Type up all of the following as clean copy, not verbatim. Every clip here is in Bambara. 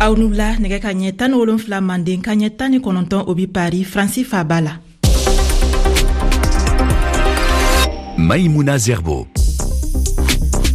Aw ni wula. Nɛgɛ ka ɲɛ 17 Manden, ka ɲɛ 19, o bi Paris, Faransi faaba la. Maïmouna Zerbo.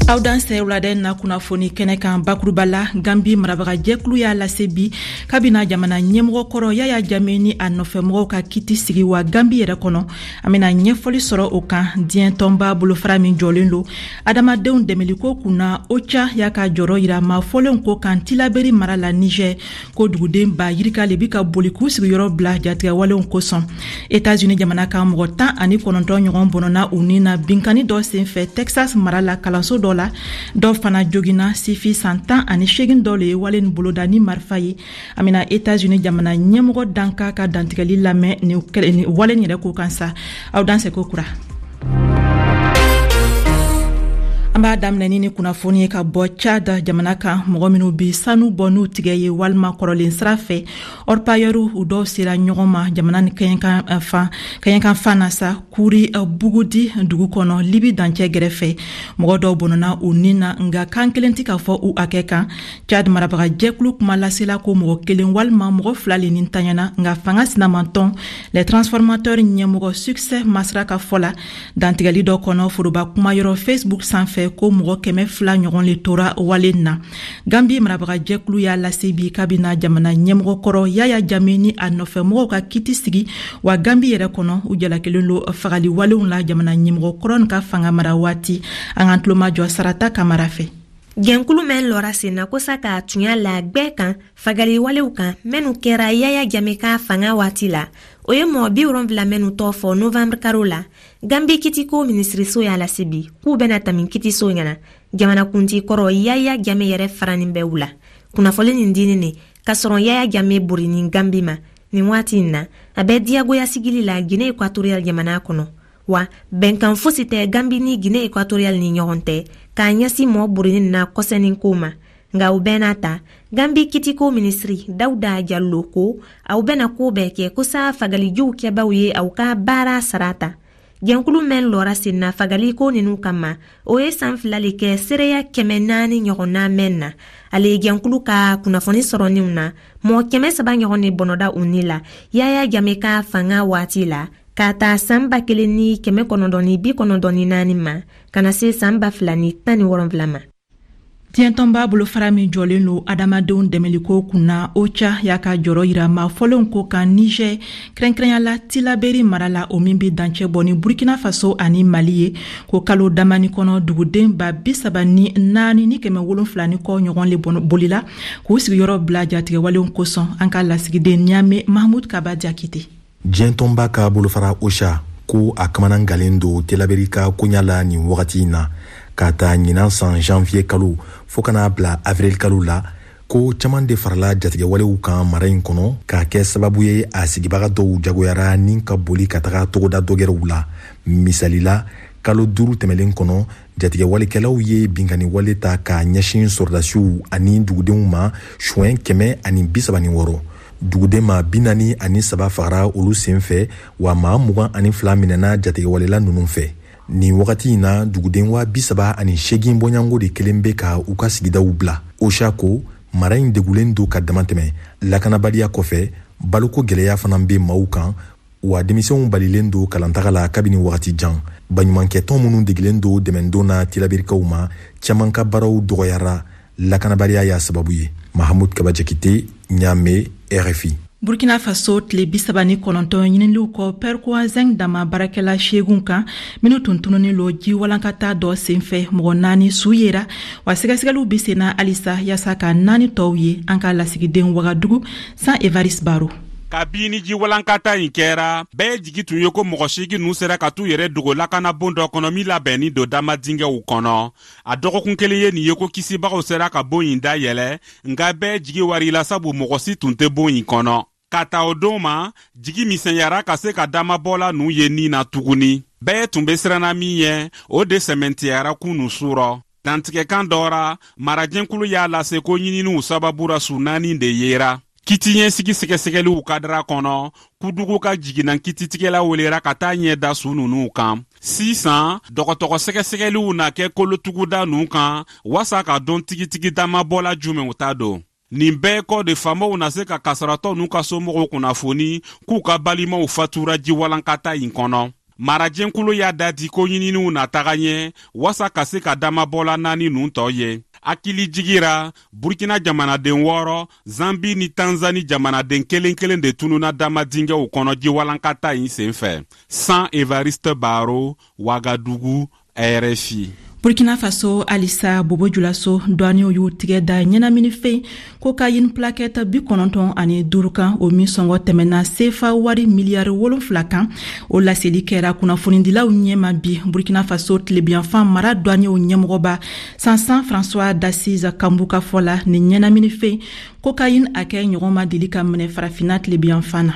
Aw dansɛ wulada na kunnafoni kɛnɛ kan. Bakuruba la, Gambi marabagajɛkulu y'a lase bi kabina jamana ɲɛmɔgɔ kɔrɔ Yaya Jame ni a nɔfɛmɔgɔw ka kiti sigi wa Gambi yɛrɛ kɔnɔ. An bena ɲɛfɔli sɔrɔ o kan. Diɲɛ tɔnba bolofara min jɔlen lo adamadenw dɛmɛliko kunna, OCHA, y'a ka jɔrɔ yira maa fɔlenw ko kan Tilaberi mara la Niger, ko duguden ba yirika le bi ka boli k'u sigiyɔrɔ bila jatigɛwalenw kosɔn. Etats-Unis jamana kan, mɔgɔ 19 ɲɔgɔn bɔnɔna u ni na binkanni dɔ senfɛ Texas mara la, kalanso dɔ la. Dɔ fana jogina. Sifi san 18 dɔ le ye wale nin boloda ni marifa ye. An bena Etats-Unis jamana ɲɛmɔgɔ danka ka dantigɛli lamɛn ni wale nin yɛrɛ ko kan sa. Aw dansɛ ko kura. An b'a daminɛ ni kunnafoni ye ka bɔ Chad jamana kan. Mɔgɔ minw bi sanu bɔ n'u tigɛ ye walima kɔrɔlen sira fɛ, orpailleurw, u dɔw sera ɲɔgɔn ma jamana ni kɛɲɛkan fan na sa, Kuri Bugudi dugu kɔnɔ, Libi dancɛ gɛrɛfɛ. Mɔgɔ dɔw bɔnɔna u ni na, nka kan kelen tɛ ka fɔ u hakɛ kan. Chad marabaga jɛkulu kuma lasela ko mɔgɔ kelen walima mɔgɔ fila le ni tanyana, nka fanga sinamantɔn Les Transformateurs ɲɛmɔgɔ Succès Masra ka fɔ la dantigɛli dɔ kɔnɔ foroba kumayɔrɔ Facebook sanfɛ, ko mɔgɔ 200 ɲɔgɔn le tora wale na. Gambi marabaga jɛkulu y'a lase bi kabina jamana ɲɛmɔgɔ kɔrɔ Yaya Jame ni a nɔfɛmɔgɔw ka kiti sigi wa Gambi yɛrɛ kɔnɔ. U jalakilen lo fagali walenw la jamana ɲɛmɔgɔ kɔrɔ ka fanga mara waati. An k'an tulomajɔ Sarata Kamara fɛ. Jɛnkulu mɛn lɔra sen na kosa ka tunya la gwɛ kan fagali walew kan mɛnu kɛra Yaya Jame ka fanga waati la, o ye mɔgɔ 70 mɛnu tɔɔ fɔ novembre karo la. Gambi kitiko minisiriso y'a lase bi k'u bɛna tamin kitiso ɲɛna. Jamanakunti kɔrɔ Yaya Jame yɛrɛ faranin bɛ u la. Kunnafoni nin dinin ne k'a sɔrɔ Yaya Jame borinin Gambi ma nin waati in na, a bɛ diyagoya sigili la Guinée Équatoriale jamana kɔnɔ. Wa bɛnkan fosi tɛ Gambi ni Guinée Équatoriale ni ɲɔgɔn tɛ k'a ɲɛsin mɔɔ borinin na kɔsɛnin ko ma. Nka o bɛɛ n'a ta, Gambi kitiko minisiri Dawuda Jallo ko aw bɛna ko bɛɛ kɛ kosa fagalijuw kɛbaw ye aw ka baara sara ta. Jɛnkulu mɛn lɔra sen na fagali ko ninu kama, o ye san 2 le kɛ seereya 400 ɲɔgɔnna mɛn na. Ale jɛnkulu ka kunnafoni sɔrɔninw na, mɔɔ 300 ɲɔgɔn ne bɔnɔda u ni la Yaya Jame ka fanga waati la, k'a ta san 1994 ma ka na se san 2017 ma. Diɲɛtɔnba bolofara min jɔlen lo adamadenw dɛmɛliko kunna, OCHA, y'a ka jɔrɔ yira maa fɔlenw ko kan Niger, kɛrɛnkɛrɛnya la Tilaberi mara la, o min be dancɛ bɔ ni Burkina Faso ani Mali ye, ko kalo damani kɔnɔ, duguden 34 ni 700 ni kɔ ɲɔgɔn le bolila k'u sigiyɔrɔ bila jatigɛwalenw kosɔn. An ka lasigiden Niamey, Mahmud Kaba Jakite. Diɲɛtɔnba ka bolofara OCHA ko a kamanagalen don Telaberi ka koɲa la nin wagati in na. K'a ta ɲinan san janvier kalo fɔɔ ka n'a bila avril kalo la, ko caaman de farala jatigɛwalew kan mara in kɔnɔ, k'a kɛ sababu ye a sigibaga dɔw jagoyara ni ka boli ka taga togoda dɔgɛrɛw la. Misali la, kalo 5 tɛmɛlen kɔnɔ, jatigɛwalekɛlaw ye binkanniwale ta k'a ɲɛsin sɔrɔdasiw ani dugudenw ma suɲɛ 136. Duguden ma 43 fagara olu sen fɛ, wa maa 22 minɛna jatigɛwalela ninnu fɛ. Nin wagati in na, duguden 38,000 bɔɲango de kelen bɛ ka u ka sigidaw bila. OCHA ko mara in degulen don ka damatɛmɛ. Lakanabaliya kɔfɛ, baloko gwɛlɛya fana bɛ maaw kan, wa denmisɛnw balilen don kalantaga la kabini wagati jan. Baɲumankɛtɔn minnu degilen don dɛmɛdon na Tilabirikaw ma, caaman ka baaraw dɔgɔyara, lakanabaliya y'a sababu ye. Mahamud Kaba Jakite, Ɲame, RFI. Burkina Faso, tile 39 ɲiniliw kɔ Perkoa Zinc dama baarakɛla seegun kan minw tun tununin lo ji walankata dɔ senfɛ, mɔgɔ naani su yera, wa sɛgɛsɛgɛliw be senna halisa yaasa ka naani tɔw ye. An ka lasigiden Wagadugu, San Evaris Baro. Kabini ji walankata in kɛra, bɛɛ jigi tun ye ko mɔgɔ 8 ninnu sera ka t'u yɛrɛ dogo lakanabon dɔ kɔnɔ min labɛnnin don dama dingɛw kɔnɔ. A dɔgɔkun kelen ye nin ye ko kisibagaw sera ka bon in dayɛlɛ, nka bɛɛ jigi warila sabu mɔgɔ si tun tɛ bon in kɔnɔ. Ka ta o don ma, jigi misɛnyara ka se ka damabɔla ninnu ye nin na tuguni. Bɛɛ tun bɛ siranna min ɲɛ, o de sɛmɛntiyara kunu surɔ. Dantigɛkan dɔ ra, marajɛnkulu y'a lase ko ɲininiw sababu ra, su naani de yera. Kiti ɲɛsigi sɛgɛsɛgɛliw kadara kɔnɔ, Kudugu ka jiginna kititigɛla welera ka taa ɲɛ da su ninnu kan. Sisan dɔgɔtɔrɔ sɛgɛsɛgɛliw na kɛ kolotuguda ninnu kan waasa ka dɔn tigitigi damabɔla jumɛnw ta don. Nin bɛɛ kɔ de, faamaw na se ka kasaratɔ n'u ka somɔgɔw kunnafoni k'u ka balimaw fatura jiwalankata in kɔnɔ. Marajɛnkulu y'a da di ko ɲininiw na taga ɲɛ wasa ka se ka damabɔla naani nun tɔ ye. Hakili jigira, Burkina jamanaden 6, Zambi ni Tanzani jamanaden kelen kelen de tununa dama dingɛw kɔnɔ jiwalankata in senfɛ. San Evariste Baro, Wagadugu, RFI. Burkina Faso halisa, Bobo Julaso douaniers y'u tigɛ da ɲɛnaminifɛn kokayini plakɛti 95 kan, o min sɔngɔ tɛmɛna sefa wari miliyari 7 kan. O laseli kɛra kunnafonidilaw ɲɛma bi. Burkina Faso tilebiyanfan mara douaniers ɲɛmɔgɔba Sansan François d'Assise Kambu ka fɔ la, nin ɲɛnaminifɛn kokayini hakɛ ɲɔgɔn ma deli ka minɛ Farafina tilebiyanfan na.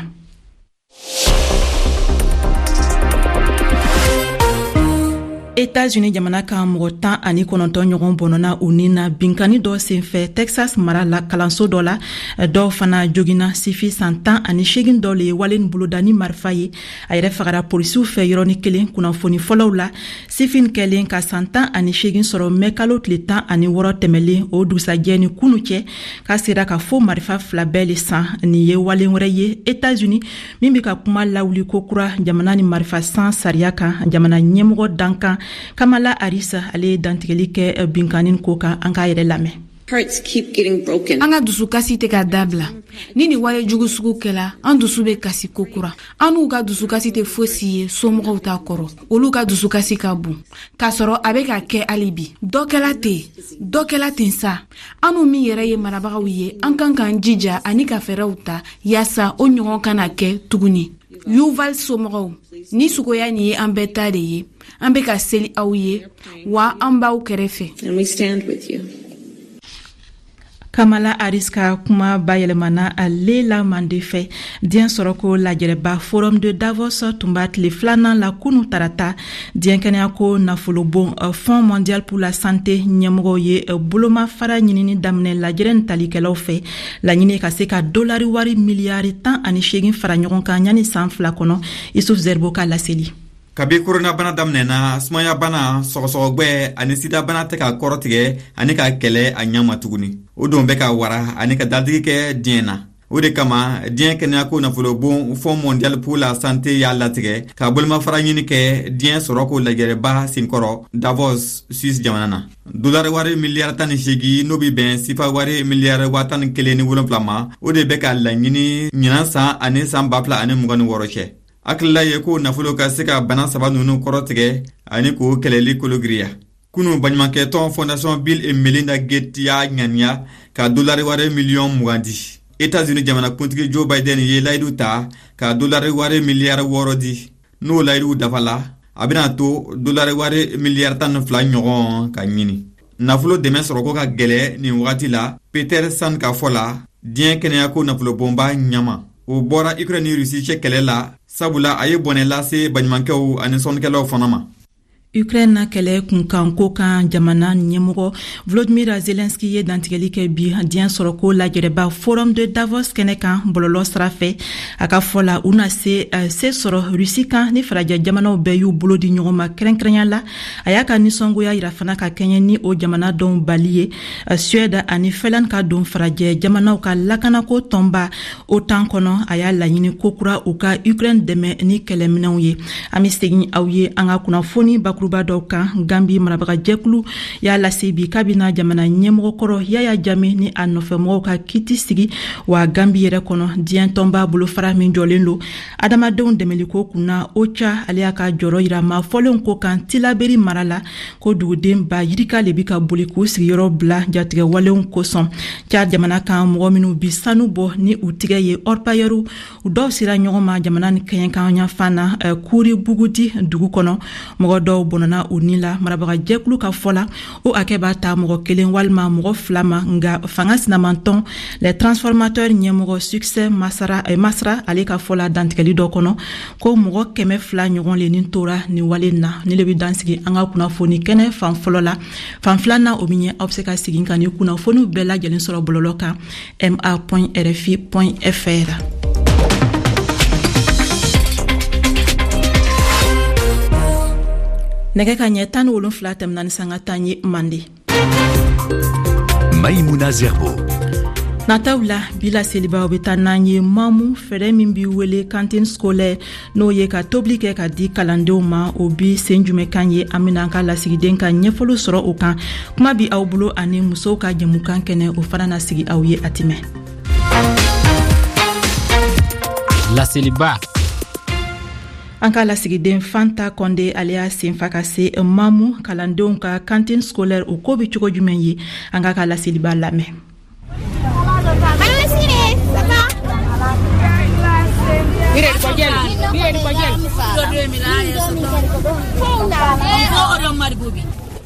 Etats-Unis jamana kan, mɔgɔ 19 ɲɔgɔn bɔnɔna u ni na binkanni dɔ senfɛ Texas mara la, kalanso dɔ la. Dɔw fana jogina. Sifi san 18 dɔ le ye wale boloda ni marifa ye. A yɛrɛ fagara polisiw fɛ yɔrɔni kelen. Kunnafoni fɔlɔw la, sifin kɛlen ka san 18 sɔrɔ mɛ kalo tile 16 tɛmɛlen, o dugusajɛ ni kunu cɛ k'a sera ka fo marifa fila bɛɛ le san. Nin ye wale wɛrɛ ye Etats-Unis min bɛ ka kuma lawuli kokura jamana ni marifa san sariya kan. Jamana ɲɛmɔgɔ dankan Kamala Harris, ale ye dantigɛli kɛ binkanni ko kan. An k'a yɛrɛ lamɛn. An ka dusukasi tɛ ka dabila. Ni nin wale jugu sugu kɛla, an dusu bɛ kasi kokura. An n'u ka dusukasi tɛ fosi ye somɔgɔw ta kɔrɔ. Olu ka dusukasi ka bon k'a sɔrɔ a bɛ ka kɛ hali bi. Dɔ kɛla ten, dɔ kɛla ten sa. Annu min yɛrɛ ye marabagaw ye, an kan k'an jija ani ka fɛɛrɛw ta yaasa o ɲɔgɔn kana kɛ tuguni. Uvalde somɔgɔw, ni sugoya nin ye an bɛɛ ta de ye. An bɛ ka seli aw ye, wa an b'aw kɛrɛfɛ. Kamala Harris ka kuma bayɛlɛmana Lela Mande fɛ. Diɲɛ sɔrɔko lajɛrɛba Forum de Davos tun b'a tile filanan la kunu tarata. Diɲɛ kɛnɛyako nafolobon euh, Fonds mondial pour la santé ɲɛmɔgɔw ye bolomafara ɲinini daminɛ lajɛrɛ nin talikɛlaw fɛ. Laɲini ka se ka dolari wari miliyari 18 fara ɲɔgɔn kan yanni san 2 kɔnɔ. Isuf Zerbo ka laseli. Kabi koronabana daminɛna, sumayabana, sɔgɔsɔgɔgwɛ ani sidabana tɛ ka kɔrɔtigɛ ani ka kɛlɛ a ɲɛ ma tuguni. O don bɛ ka wara ani ka dadigi kɛ diɲɛ na. O de kama, diɲɛ kɛnɛyako nafolobon Fonds mondial pour la santé y'a latigɛ ka bolomafara ɲini kɛ diɲɛ sɔrɔko lajɛrɛba senkɔrɔ Davos, Suisse jamana na. Dolari wari miliyari 18, n'o bɛ bɛn sifa wari miliyari 11,7 ma, o de bɛ ka laɲini ɲinan san ani san 2026 cɛ. Hakilila ye ko nafolo ka se ka bana saba ninnu kɔrɔtigɛ ani k'o kɛlɛli kologiriya. Kunu, baɲumankɛtɔn Fondation Bill et Melinda Gates y'a ŋaniya ka dolari wari miliyɔn 20 di. Etats-Unis jamanakuntigi Joe Biden ye layidu ta ka dolari wari miliyari 6 di. N'o layiduw dafala, a bɛna to dolari wari miliyari 12 ɲɔgɔn ka ɲini. Nafolo dɛmɛ sɔrɔko ka gɛlɛ nin wagati la, Peter Sand ka fɔ la, diɲɛ kɛnɛyako nafolobonba ɲɛmaa. O bɔra Ukraine ni Russie cɛ kɛlɛ la, sabula a ye bɔnɛ lase baɲumankɛw ani sɔnnikɛlaw fana ma. Ukraine na kɛlɛ kunkanko kan, jamana ɲɛmɔgɔ Volodymyr Zelensky ye dantigɛli kɛ bi diɲɛ sɔrɔko lajɛrɛba Forum de Davos kɛnɛ kan bɔlɔlɔ sira fɛ. A ka fɔ la, u na se se sɔrɔ Russie kan ni farajɛ jamanaw bɛɛ y'u bolo di ɲɔgɔn ma kɛrɛnkɛrɛnya la. A y'a ka nisɔngoya yira fana ka kɛɲɛ ni o jamana dɔw bali ye, Suède ani Finlande, ka don farajɛ jamanaw ka lakanako tɔnba OTAN kɔnɔ. A y'a laɲini kokura u ka Ukraine dɛmɛ ni kɛlɛminɛw ye. An bɛ segin aw ye an ka kunnafoni bakuruba dɔw kan. Gambi marabagajɛkulu y'a lase bi k'a bɛna jamana ɲɛmɔgɔkɔrɔ Yaya Jame ni a nɔfɛmɔgɔw ka kiti sigi. Wa Gambi yɛrɛ kɔnɔ, diɲɛ tɔnba bolofara min jɔlen don adamadenw dɛmɛliko kunna, OCHA, ale y'a ka jɔrɔ yira maa fɔlenw ko kan Tilaberi mara la, ko duguden ba yirika le bi ka boli k'u sigiyɔrɔ bila jatigɛ walenw kosɔn. Tchad jamana kan, mɔgɔ minw bi sanu bɔ ni u tigɛ ye, orpailleurw, dɔw sera ɲɔgɔn ma jamana ni kɛɲɛkan yanfan na, Kuri Bugudi dugu kɔnɔ. Mɔgɔ dɔw bɔnɔna u ni la. Marabagajɛkulu ka fɔ la, o hakɛ b'a ta mɔgɔ kelen walima mɔgɔ fila ma. Nga fanga sinamantɔn Les Transformateurs ɲɛmɔgɔ Succès Masra, ale ka fɔ la dantigɛli dɔ kɔnɔ, ko mɔgɔ 200 ɲɔgɔn le ni tora nin wale na. Ni le bɛ dansigi an ka kunnafoni kɛnɛ fan fɔlɔ la. Fan filanan, o min ye aw bɛ se ka segin ka ni kunnafoniw bɛɛ lajɛlen sɔrɔ bɔlɔlɔ kan, ma.rfi.fr. Nɛgɛ ka ɲɛ 17 tɛmɛna ni sanga 10 ye Mande. Maïmouna Zerbo. Nataw la, bi laselibaw bɛ taa n'an ye Mamu, fɛɛrɛ min b'i wele cantine scolaire, n'o ye ka tobili kɛ ka di kalandenw ma, o bi sen jumɛn kan ye? An bɛna an ka lasigiden ka ɲɛfɔliw sɔrɔ o kan. Kuma bi aw bolo ani musow ka jɛmukan kɛnɛ, o fana na sigi aw ye a ti mɛn. Laseliba. An ka lasigiden Fanta Kɔnde, ale y'a senfa ka se Mamu, kalandenw ka cantine scolaire, o ko bɛ cogo jumɛn ye? An k'a ka laseliba lamɛn.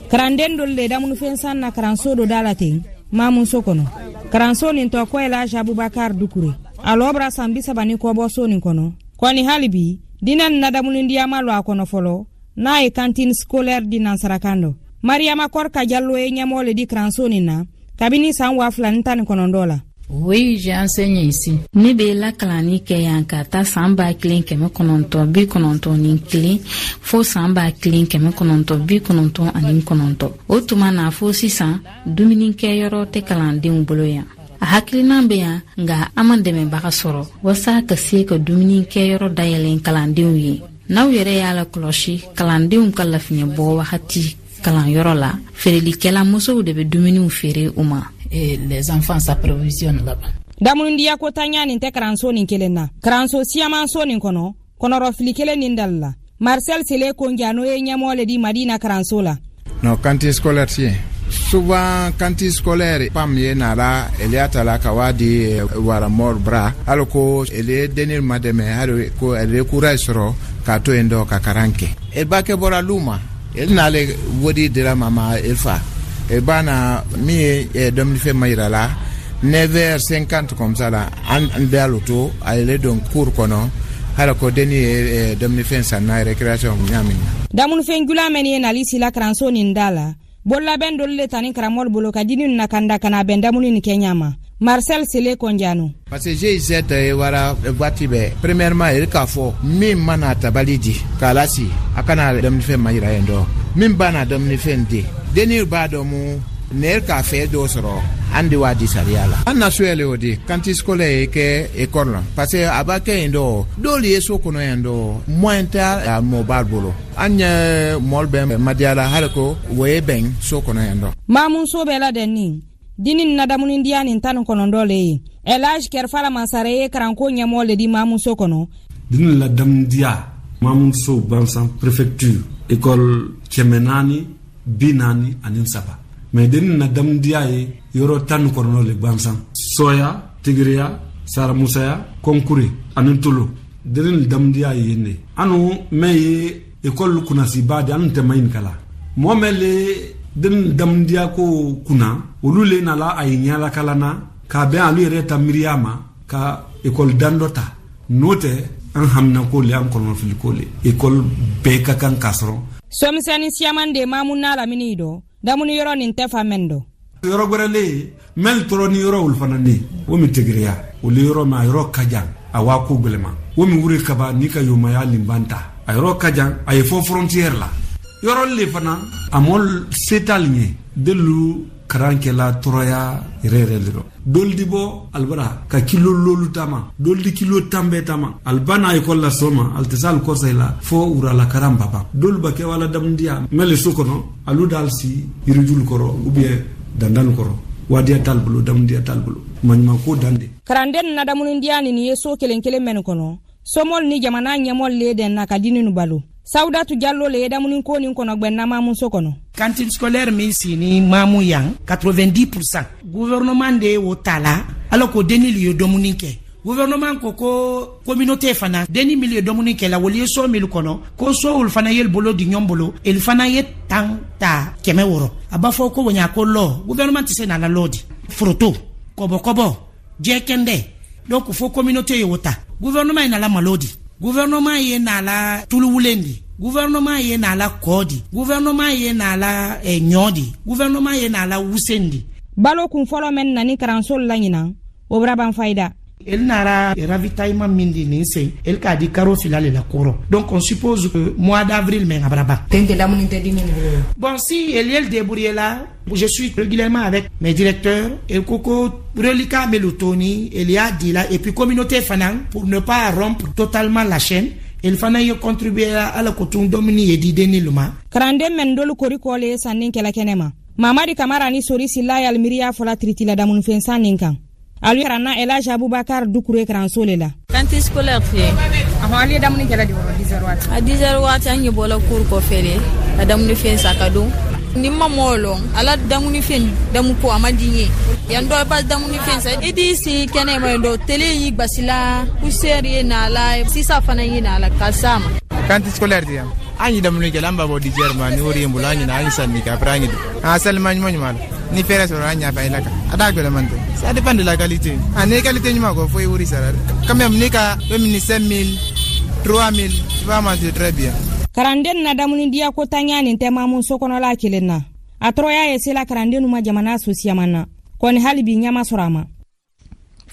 Karanden dolu le damunifɛn san na karanso dɔ da la ten Mamuso kɔnɔ. Karanso nin tɔ ko Elaji Abubakar Dukure. A lɔ bara san 30 ni kɔ bɔ so nin kɔnɔ. Kɔni hali bi dennin na damunidiya ma lɔ a kɔnɔ fɔlɔ, n'a ye cantine scolaire di nansarakan dɔ. Mariyama Kɔrika Jalo ye ɲɛmɔgɔ le di karanso nin na kabini san 2019 la. Oui, j'ai enseigné ici. Ne bɛ lakalanni kɛ yan ka taa san 1991 fo san 1999. O tuma na fo sisan, dumunikɛyɔrɔ tɛ kalandenw bolo yan. A hakilina bɛ yan, nka an ma dɛmɛbaga sɔrɔ walasa ka se ka dumunikɛyɔrɔ dayɛlɛn kalandenw ye. N'aw yɛrɛ y'a lakɔlɔsi, kalandenw ka lafiɲɛ bɔ wagati kalanyɔrɔ la, feerelikɛla musow de bɛ dumuniw feere u ma. Et les enfants s'approvisionnent là-bas. Damunidiya ko tanya nin tɛ karanso nin kelen na. Karanso siyaman so nin kɔnɔ, kɔnɔrɔfili kelen nin dali la. Marcel Sele Konja, n'o ye ɲɛmɔgɔ le di Madina karanso la. Non, cantine scolaire tiɲɛ. Souvent cantine scolaire PAM ye nara ele ta la ka wa di wara mɔr bra hali ko ele denni ma dɛmɛ, hali ko ele courage sɔrɔ k'a to yen dɔ ka karan kɛ. El ba kɛ bɔra lu ma, el n'ale wodi dira ma ma el fa el ba na min ye dumunifɛn ma yira la 9h50 comme ça la, an bɛ alo to a yɛlɛ don cour kɔnɔ, hali ko denni ye dumunifɛn san na récréation ɲa min na. Damunifɛn jula mɛn ye nali sila karanso nin da la, bololabɛn dolu le tani karamɔgɔ bolo ka dini na kanda ka na bɛn damuni nin kɛ ɲa ma. Marcel Sele Kɔnjano. Parce que GIZ ye wara waati bɛɛ, premièrement ele k'a fɔ min mana tabali di k'a lasi, a kana dumunifɛn ma yira yen dɔ min b'a na dumunifɛn di denni b'a dɔn mu ne k'a fɛ dɔ sɔrɔ, an de b'a di sariya la. An na so yɛlɛ o di cantine scolaire ye kɛ école la, parce que a b'a kɛ yen dɔ dɔw ye so kɔnɔ yen dɔ moyen tɛ a mɔba bolo. An ye mɔli bɛɛ madiya la, hali ko o ye bɛn so kɔnɔ yan dɔ. Mamuso bɛɛ ladɛnni dini na damunidiya nin 19 le ye. Elage Kɛrifala Mansare ye karanko ɲɛmɔgɔ le di Mamuso kɔnɔ. Dini la damunidiya Mamuso gansan, préfecture, école 443, mais denni na damunidiya ye yɔrɔ 19 le gansan: Sɔya, Tigiriya, Saramusaya, Kɔnkure ani Tolo. Denni damunidiya ye yen de. Anu mɛn ye école kunnasiba de, anu tɛ ma ɲininka la mɔgɔ mɛn le denni damunidiya ko kunna, olu le nala a ye ɲalakalan na k'a bɛn alu yɛrɛ ta miiriya ma ka école dan dɔ ta. N'o tɛ, an hamina ko le, an kɔnɔfili ko le, école bɛɛ ka kan k'a sɔrɔ. Somisɛnni siyaman de Mamu n'a lamini dɔ damuni yɔrɔ nin tɛ fa mɛn dɔ. Yɔrɔ gwɛrɛ le ye mɛli tɔrɔ ni yɔrɔ olu fana ne o min Tigiriya, olu yɔrɔ ma, a yɔrɔ ka jan, a waa ko gwɛlɛma o min wuri kaba n'i ka yomaya linban ta, a yɔrɔ ka jan, a ye fɔ frontière la yɔrɔ le fana, a mɔ setal ɲɛ delu karan kɛla tɔɔrɔya yɛrɛ yɛrɛ le dɔ. Dolu di bɔ alibara ka kilo lolu tama, dolu di kilo 10 bɛɛ tama, aliba n'a ekɔli la sɔgɔma, ali tɛ se ali kɔsa la fo wurala karan ba ban. Dolu ba kɛ wala damundiya mɛ le so kɔnɔ, alu d'al si yirijulu kɔrɔ ou bien dandanu kɔrɔ, wadiya t'al bolo, damundiya t'al bolo, maɲuman ko dan de. Karanden na damunidiya nin ye so kelen kelen mɛnu kɔnɔ, somɔl ni jamana ɲɛmɔl le den na ka dini nu balo. Sawudatu Jallo le ye damuni ko nin kɔnɔ gwɛnna Mamuso kɔnɔ. Cantine scolaire min sini Mamu yan, 90 % gouvernement de y'o ta la, ala ko denni ye dumuni kɛ. Gouvernement ko ko communauté fana, denni min ye dumuni kɛ la, wolu ye so min kɔnɔ, ko so olu fana ye bolo di ɲɔgɔn bolo, olu fana ye tan ta 600. A b'a fɔ ko woɲa ko lɔ, gouvernement tɛ se n'a la lɔ di foroto kɔbɔkɔbɔ jɛkɛndɛ. Donc fo communauté ye o ta. Gouvernement ye nala malo di, gouvernement ye nala tuluwulen di, gouvernement ye nala kɔɔ di, gouvernement ye nala ɲɔ di, gouvernement ye nala wusen di. Balo kun fɔlɔ mɛn nani karanso la ɲinan, o bara ban fayida. El nara ravitaillement min di nin sen, el k'a di karo fila le la kɔrɔ. Donc on suppose que mois d'avril men a bara ban. Tente lamuni tɛ di nin bolo. Bon, si el yel débrouillé là, je suis régulièrement avec mes directeurs et koko reliquat melutoni, il y a dit là, et puis communauté fana, pour ne pas rompre totalement la chaîne, il fana ye contribuer à la kotun domini ye di denni ma. Karanden men dolu kori kɔle ye sanni kɛla kɛnɛ ma. Mamadi Kamara ni Sori Sila y'al miiriya fɔla tiritila damunifɛn sanni kan. Alu karanna Elhadj Abubakar Dukure karanso le la. Cantine scolaire fɛ. Ahɔn, alu ye damuni kɛla di wɔrɔ 10 heures waati. A 10 heures waati an ye bɔla cours kɔfɛ le ka damunifɛn san ka don. Ni ma mɔɔ lɔn ala damunifɛn damu ko a man di n ye. Yan dɔ ba damunifɛn san i t'i sigi kɛnɛ ma yen dɔ tele y'i gbasila poussière ye na la sisa fana ye na la ka s'a ma. Cantine scolaire di yan. An ye damuni kɛ an b'a bɔ 10 heures ma ni wari ye n bolo an ɲina an ye sanni kɛ après an ye don. A salima ɲuman ɲuman la. Ni fɛɛrɛ sɔrɔ an ɲa fɛ la kan. A t'a gbɛlɛman tɛ. Ça dépend de la qualité. A ni qualité ɲuman kɔ fo i wari sara. Quand même ni ka même ni 5000, 3000, tu vas manger très bien. Karanden na damuni diya ko tanya nin tɛ mamu so kɔnɔla kelen na. A tɔɔrɔya ye sela karandennu ma jamana sosiyaman na. Kɔni hali bi ɲɛ ma sɔrɔ a ma.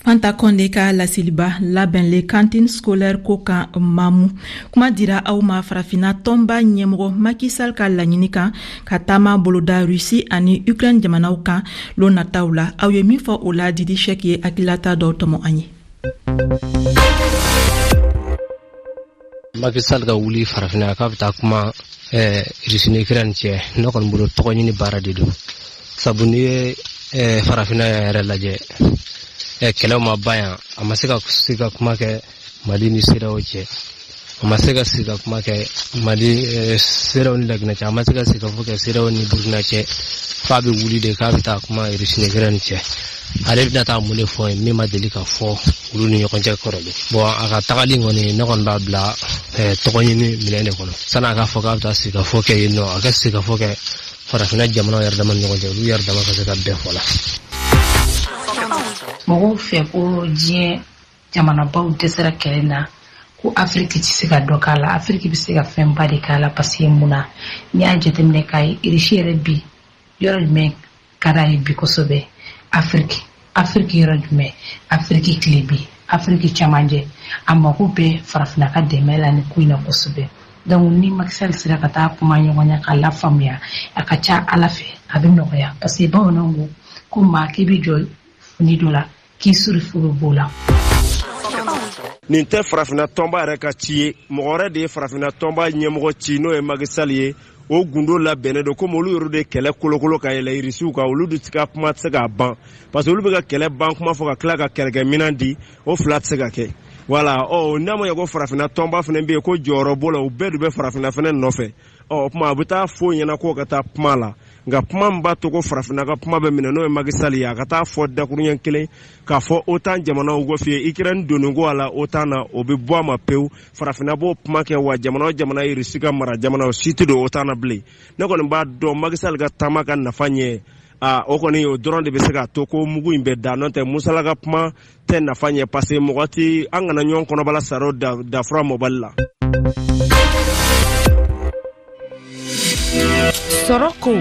Fanta Konde ka laseliba labɛnle cantine scolaire ko kan mamu. Kuma dira aw ma farafina tɔnba ɲɛmɔgɔ Macky Sall ka laɲini kan ka taama boloda Russie ani Ukraine jamanaw kan lon nataw la. Aw ye min fɔ o la Didi Sɛk ye hakililata dɔw tɔmɔ an ye. Macky Sall ka wuli farafina k'a bɛ taa kuma Russie ni Ukraine cɛ, ne kɔni bolo tɔgɔ ɲini baara de don. Sabu n'i ye farafina yɛrɛ lajɛ, kɛlɛw ma ban yan, a ma se ka sigi ka kuma kɛ Mali ni CEDEAO cɛ, a ma se ka sigi ka kuma kɛ Mali CEDEAO ni Laginɛ cɛ, a ma se ka sigi ka fɔ kɛ CEDEAO ni Burkina cɛ, f'a bɛ wuli de k'a bɛ taa kuma Russie ni Ukraine cɛ. Ale bɛna taa mun de fɔ yen min ma deli ka fɔ olu ni ɲɔgɔn cɛ kɔrɔlen. Bon, a ka tagali kɔni ne kɔni b'a bila tɔgɔ ɲini minɛn de kɔnɔ. Sanni a k'a fɔ k'a bɛ taa sigi ka fɔ kɛ yen nɔ, a ka sigi ka fɔ kɛ farafinna jamanaw yɛrɛ dama ni ɲɔgɔn cɛ, olu yɛrɛ dama ka se ka bɛn fɔ la. Mɔgɔw fɛ ko diɲɛ jamanabaw dɛsɛra kɛlɛ na, ko Afiriki tɛ se ka dɔ k'a la. Afiriki bɛ se ka fɛnba de k'a la parce que mun na, n'i y'a jateminɛ k'a ye Irisi yɛrɛ bi yɔrɔ jumɛn ka d'a ye bi kosɛbɛ, Afiriki. Afiriki yɔrɔ jumɛn, Afiriki tilebi, Afiriki cɛmancɛ, a mago bɛ farafinna ka dɛmɛ la nin ko in na kosɛbɛ. Donc ni Macky Sall sera ka taa kuma ɲɔgɔnya k'a lafaamuya, a ka ca Ala fɛ a bɛ nɔgɔya parce que bamananw ko ko maa k'i bɛ jɔ fini dɔ la k'i suri furu b'o la. Nin tɛ farafinna tɔnba yɛrɛ ka ci ye, mɔgɔ wɛrɛ de ye farafinna tɔnba ɲɛmɔgɔ ci n'o ye Macky Sall ye. O gundo labɛnnen don komi olu yɛrɛ de kɛlɛ kolokolo ka yɛlɛ Irisiw kan, olu de ka kuma tɛ se k'a ban parce que olu bɛ ka kɛlɛ ban kuma fɔ ka tila ka kɛlɛkɛminɛn di, o fila tɛ se ka kɛ. Voilà, ɔ n'a ma ɲɛ ko farafinna tɔnba fana bɛ yen ko jɔyɔrɔ b'o la, u bɛɛ de bɛ farafinna fana nɔfɛ. Ɔ o tuma a bɛ taa fɔ ɲɛna k'o ka taa kuma la, nka kuma min b'a to ko farafinna ka kuma bɛ minɛ n'o ye Macky Sall ye, a ka taa fɔ dakuruɲɛ kelen k'a fɔ OTAN jamanaw ko f'i ye Ukraine donni ko a la OTAN na, o bɛ bɔ a ma pewu. Farafinna b'o kuma kɛ wa jamana o jamana ye Irisi ka mara jamana o si tɛ don OTAN na bilen. Ne kɔni b'a dɔn Macky Sall ka taama ka nafa ɲɛ, o kɔni o dɔrɔn de bɛ se k'a to ko mugu in bɛ da, n'o tɛ Musala ka kuma tɛ nafa ɲɛ parce que mɔgɔ tɛ an kana ɲɔgɔn kɔnɔbala saro dafura mɔbali la. Sɔrɔ ko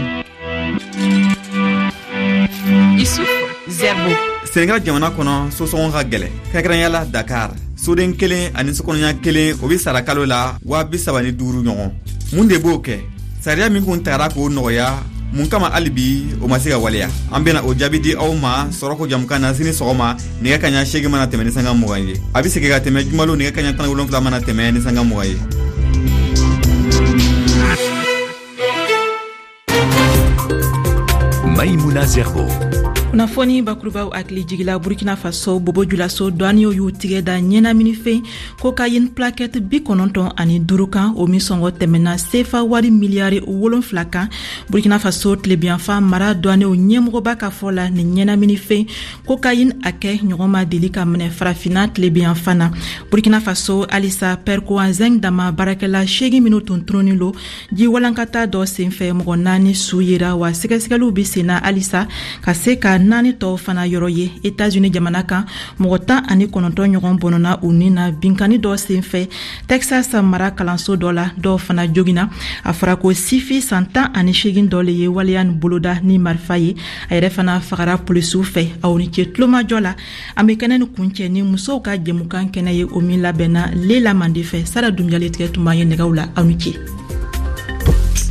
Isuf Zerbo. Senegal jamana kɔnɔ sosɔngɔ ka gɛlɛ, kɛrɛnkɛrɛnya la Dakar. Soden kelen ani sokɔnɔɲa kelen o be sara kalo la 35 ɲɔgɔn. Mun de b'o kɛ? Sariya min kun tagara k'o nɔgɔya, mun kama hali bi o ma se ka waleya? An bena o jaabi di aw ma sɔrɔko jamukan na sini sɔgɔma nɛgɛ kaɲa 8 mana tɛmɛ ni sanga 20 ye. A be segin ka tɛmɛ jumalon nɛgɛ kaɲa 17 mana tɛmɛ ni sanga 20 ye. Maïmouna Zerbo. Kunnafoni bakurubaw hakili jigila Burkina Faso Bobo Julaso douaniers y'u tigɛ da ɲɛnaminifɛn cocaïne plaquette 95 kan, o min sɔngɔ tɛmɛna sefa wari miliyari 7 kan. Burkina Faso tilebiyanfan mara douaniers ɲɛmɔgɔba ka fɔ la, nin ɲɛnaminifɛn cocaïne hakɛ ɲɔgɔn ma deli ka minɛ farafinna tilebiyanfan na. Burkina Faso halisa Perkoa Zinc dama baarakɛla 8 minnu tun tununnen lo ji walankata dɔ senfɛ, mɔgɔ 4 su yera wa sɛgɛsɛgɛliw bɛ senna halisa ka se ka Ka naani tɔw fana yɔrɔ ye. Etats-Unis jamana kan, mɔgɔ 19 ɲɔgɔn bɔnɔna u ni na binkanni dɔ senfɛ Texas mara kalanso dɔ la. Dɔw fana jogina. A fɔra ko sifi san 18 dɔ le ye waleya nin boloda ni marifa ye. A yɛrɛ fana fagara polisiw fɛ. Aw ni ce tulomajɔ la. An be kɛnɛ nin kuncɛ ni musow ka jɛmukan kɛnɛ ye, o min labɛnna Lela Mande fɛ. Sara Dunbiya le tigɛ tun b'an ye nɛgɛw la. Aw ni ce.